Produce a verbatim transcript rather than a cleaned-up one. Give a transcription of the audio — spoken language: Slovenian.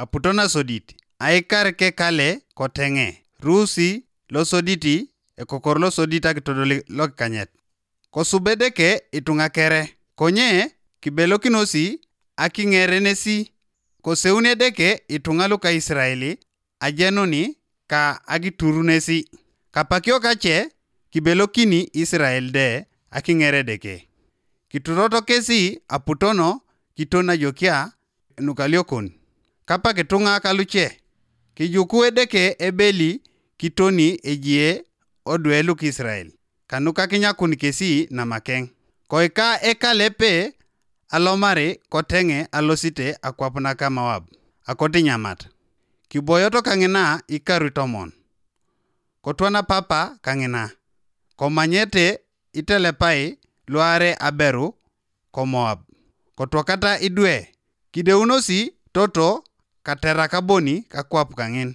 aputona sodit, aikar ke kale kotenge, rusi lo soditi e kokor lo sodita kitodoli lo kanyet. Kosubedeke itunga kere, konye kibelo kinosi akingere nesi, koseunedeke itunga lo ka Israeli ajenoni ka agituru nesi. Kapakio kache kibelo kini Israel de akingere deke. Kituroto kesi aputono kitona yokia nukaliokon. Kapa kitunga kaluche. Kijukue deke ebeli kitoni ejie odwelu ki Israel. Kanuka kinyakun kesi na makeng. Koika eka lepe alomari kotenge alosite akwapna ka Moab. Akoti nyamat. Kiboyoto kangina ikarutomon. Kotwana papa kangina. Komanyete itelepai luare aberu ko Moab. Kotwakata idwe. Kideunosi toto katera kaboni kakwap kangin.